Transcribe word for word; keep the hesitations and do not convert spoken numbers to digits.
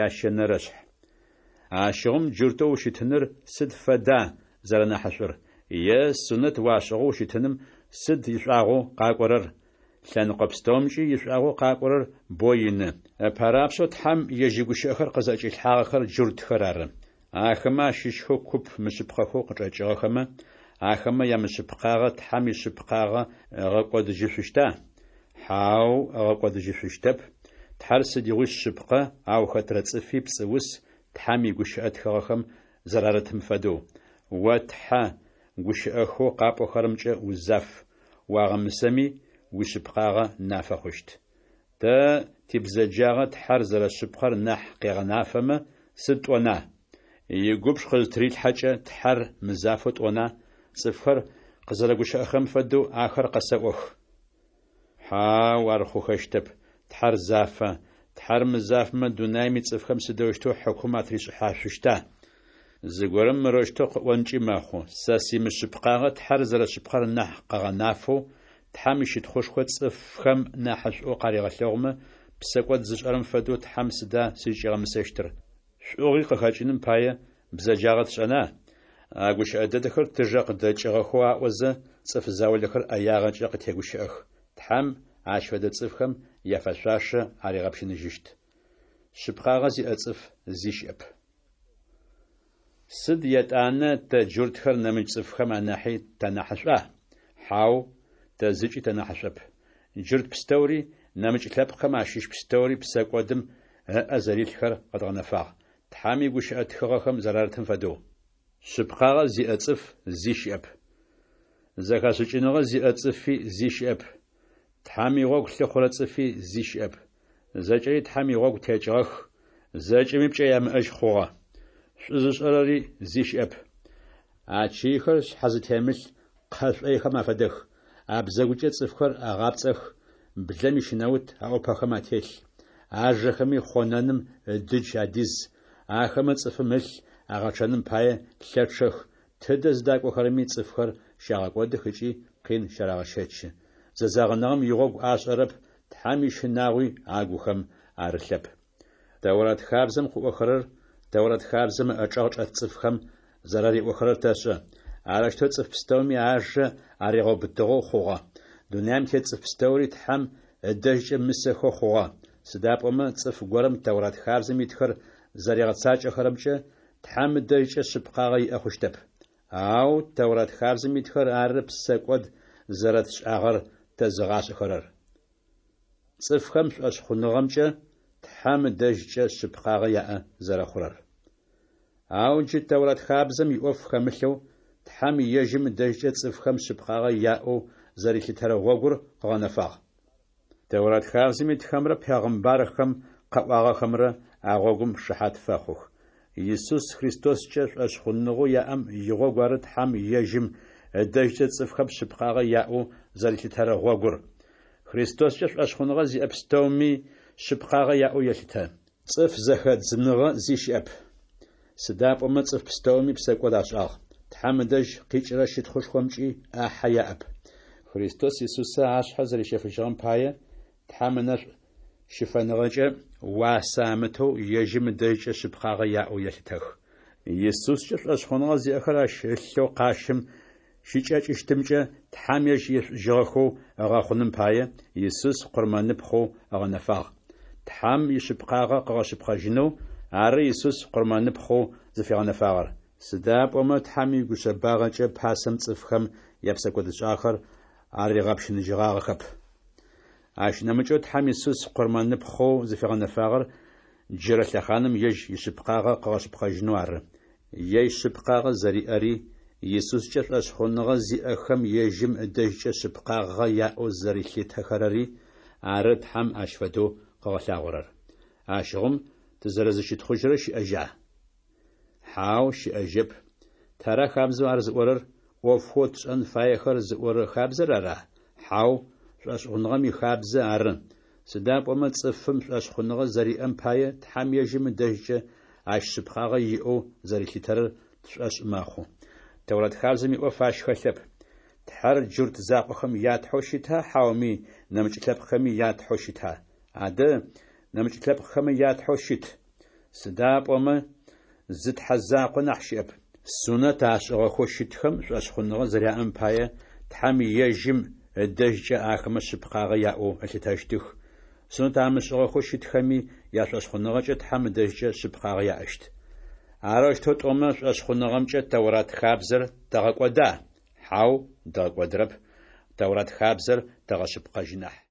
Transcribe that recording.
Ящэнэрэшъхь. Ащыгъум джуртэу ущытыныр сыд фэда зэрэнахьышӏур? Е сунэт уашӏыгъэу ущытыным сыд ишӏуагъэу къакӏорэр? Лъэныкъо пстэумкӏи ишӏуагъэу къакӏорэр боу ины. Ыпэрапшӏэу Тхьэм ежь игущыӏэхэр къызӏэкӏилъхьагъэхэр джуртхэр ары. Ахэмэ ащыщхэу куп мышъыпкъэхэу къычӏэкӏыгъэхэмэ, ахэмэ ямышъыпкъагъэ Тхьэм ишъыпкъагъэ ыгъэкӏодыжьышъущта? Хьау, ыгъэкӏодыжьышъущтэп. Тхьэр сыдигъуи шъыпкъэ, ау хэтрэ цӏыфи пцӏыус, Тхьэм игущыӏэ тхыгъэхэм зэрарытым фэдэу: «О Тхьэ, гущыӏэхэу къапӏохэрэмкӏэ узаф, уагъэмысэми, уишъыпкъагъэ нафэ хъущт». Тэ тибзэджагъэ Тхьэр зэрэшъыпкъэр нахь къегъэнафэмэ, сыд тӏона? Игубж къызытырилъхьэкӏэ, Тхьэр мызафэу тӏона? Цӏыфхэр къызэрэгущыӏэхэрэм фэдэу ахэр къэсэӏох. Хьау, ар хъухэщтэп, Тхьэр зафэ. Тхьэр мызафэмэ, дунаим ицӏыфхэм сыдэущтэу хьыкум атришӏыхьашъущта? Зыгорэм мырэущтэу къыӏонкӏи мэхъу: «Сэ симышъыпкъагъэ Тхьэр зэрэшъыпкъэр нахь къыгъэнафэу, Тхьэм ищытхъушхо цӏыфхэм нахьышӏоу къаригъэлъэгъумэ, псэкӏод зышӏэрэм фэдэу Тхьэм сыда сызкӏигъэмысэщтыр? Шӏугъи къыхэкӏыным пае, бзэджагъэ тшӏэна?» А гущыӏэ дэдэхэр тыжэ къыдэкӏыгъэхэу аӏозэ, цӏыф заулэхэр ӏэягъэкӏэ къытегущыӏэх. Тхьэм ащ фэдэ цӏыфхэм яфэшъуашэ аригъэпщыныжьыщт. Шъыпкъагъэ зиӏэ цӏыф зи щыӏэп. Сыд етӏанэ тэ джуртхэр нэмыкӏ цӏыфхэм анахьи танахьышӏуа? Хьау, тэ зыкӏи тынахьышӏоп. Джурт пстэури, нэмыкӏ лъэпкъхэм ащыщ пстэури псэкӏодым ыӏэ зэрилъхэр къэдгъэнэфагъ, Тхьэм игущыӏэ тхыгъэхэм зэрарытым фэдэу. Шъыпкъагъэ зиӏэ цӏыф зи щыӏэп. Зэхэшӏыкӏыныгъэ зиӏэ цӏыфи зи щыӏэп. Тхьэм игъогу лъыхъурэ цӏыфи зи щыӏэп. Зэкӏэри Тхьэм игъогу текӏыгъэх, зэкӏэми пкӏэ ямыӏэжь хъугъэ. Шӏу зышӏэрэри зи щыӏэп. Ачыйхэр шъхьэ зытемылъ кхъэ шӏойхэм афэдэх. Абзэгукӏэ цӏыфхэр агъапцӏэх, блэм ищынэут аӏупэхэм ателъ. Ажэхэми хъонэным ыдыдж адиз, ахэмэ цӏыфым ылъ агъэчъэным пае лъэчъэх, тыдэ зыдакӏохэрэми цӏыфхэр щагъэкӏодых ыкӏи къин щарагъэщэчы. Зэзэгъыныгъэм игъогу ашӏэрэп, Тхьэм ищынагъуи агухэм арылъэп. Тэурат хабзэм къыӏохэрэр Тэурат хабзэм ыӏэчӏэгъ чӏэт цӏыфхэм зэрариӏохэрэр тэшӏэ. Арэущтэу цӏыф пстэуми ажэ аригъэубытыгъэу хъугъэ. Дунаим тет цӏыф пстэури Тхьэм ыдэжькӏэ мысэхэу хъугъэ. Сыда пӏомэ цӏыф горэм Тэурат хабзэм итхэр зэригъэцакӏэхэрэмкӏэ Тхьэм ыдэжькӏэ шъыпкъагъэ иӏэ хъущтэп. Ау Тэурат хабзэм итхэр ары псэкӏод зэрэтшӏагъэр тэзыгъашӏэхэрэр. Цӏыфхэм шӏошъхъуныгъэмкӏэ Тхьэм ыдэжькӏэ шъыпкъагъэ яӏэ зэрэхъурэр. Ау джы Тэурат хабзэм иӏоф хэмылъэу, Тхьэм ежьым ыдэжькӏэ цӏыфхэм шъыпкъагъэ яӏэу зэрилъытэрэ гъогур къыгъэнэфагъ. Тэурат хабзэм итхэмрэ пегъымбархэм къаӏуагъэхэмрэ а гъогум шыхьат фэхъух. Исус Христоскӏэ шӏошъхъуныгъэу яӏэм игъогу ары Тхьэм ежьым ыдэжькӏэ цӏыфхэм шъыпкъагъэ яӏэу зэрилъытэрэ гъогур. Христоскӏэ шӏошъхъуныгъэ зиӏэ пстэуми шъыпкъагъэ яӏэу елъытэ. Цӏыф зэхэдзыныгъэ зи щыӏэп. Сыда пӏомэ цӏыф пстэуми псэкӏод ашӏагъ, Тхьэм ыдэжь къикӏырэ щытхъушхомкӏи ӏахьэ яӏэп. Христос Исусэ ашъхьэ зэрищэфыжьыгъэм пае, Тхьэм ынэшӏу щыфэныгъэкӏэ уасэ амытэу ежьым ыдэжькӏэ шъыпкъагъэ яӏэу елъытэх. Исускӏэ шӏошъхъуныгъэ зиӏэхэр ащ ылъэу къащым щыкӏэкӏыщтымкӏэ Тхьэм ежь ешӏужьыгъэхэу ыгъэхъуным пае, Исус къурмэныпхъэу ыгъэнэфагъ. Тхьэм ишъыпкъагъэ къыгъэшъыпкъэжьынэу ары Исус къурмэныпхъэу зыфигъэнэфагъэр. Сыда пӏомэ Тхьэм игушъэбагъэкӏэ пасэм цӏыфхэм япсэкӏодышӏагъэхэр аригъэпщыныжьыгъагъэхэп. Ащ нэмыкӏэу Тхьэм Исус къурмэныпхъэу зыфигъэнэфагъэр джырэ лъэхъаным ежь ишъыпкъагъэ къыгъэшъыпкъэжьынэу ары. Ежь шъыпкъагъэ зэриӏэри, Исускӏэ шӏошъхъуныгъэ зиӏэхэм ежьым ыдэжькӏэ шъыпкъагъэ яӏэу зэрилъытэхэрэри ары Тхьэм ащ фэдэу къыгъэлъагъорэр. Ащыгъум тызэрэзыщытхъужьырэ щыӏэжьа? Хьау, щыӏэжьэп. Тара хабзэу ар зыӏорэр? ӏофхэу тшӏэн фаехэр зыӏорэ хабзэр ара? Хьау, шӏошъхъуныгъэм ихабзэ ары. Сыда пӏомэ цӏыфым шӏошъхъуныгъэ зэриӏэм пае Тхьэм ежьым ыдэжькӏэ ащ шъыпкъагъэ иӏэу зэрилъытэрэр тшӏошъ мэхъу. Тэурат хабзэм иӏоф ащ хэлъэп. Тхьэр джурт закъохэм ятхьэу щыта, хьауми нэмыкӏ лъэпкъхэми ятхьэу щыта? Адэ, нэмыкӏ лъэпкъхэми ятхьэу щыт. Сыда пӏомэ зы Тхьэ закъо нахь щыӏэп. Сунэт ашӏыгъэхэу щытхэм шӏошъхъуныгъэ зэряӏэм пае, Тхьэм ежьым ыдэжькӏэ ахэмэ шъыпкъагъэ яӏэу ылъытэщтых, сунэт амышӏыгъэхэу щытхэми яшӏошъхъуныгъэкӏэ Тхьэм ыдэжькӏэ шъыпкъагъэ яӏэщт. Арэущтэу тӏомэ, шӏошъхъуныгъэмкӏэ Тэурат хабзэр тэгъэкӏода? Хьау, дгъэкӏодырэп, Тэурат хабзэр тэгъэшъыпкъэжьы нахь.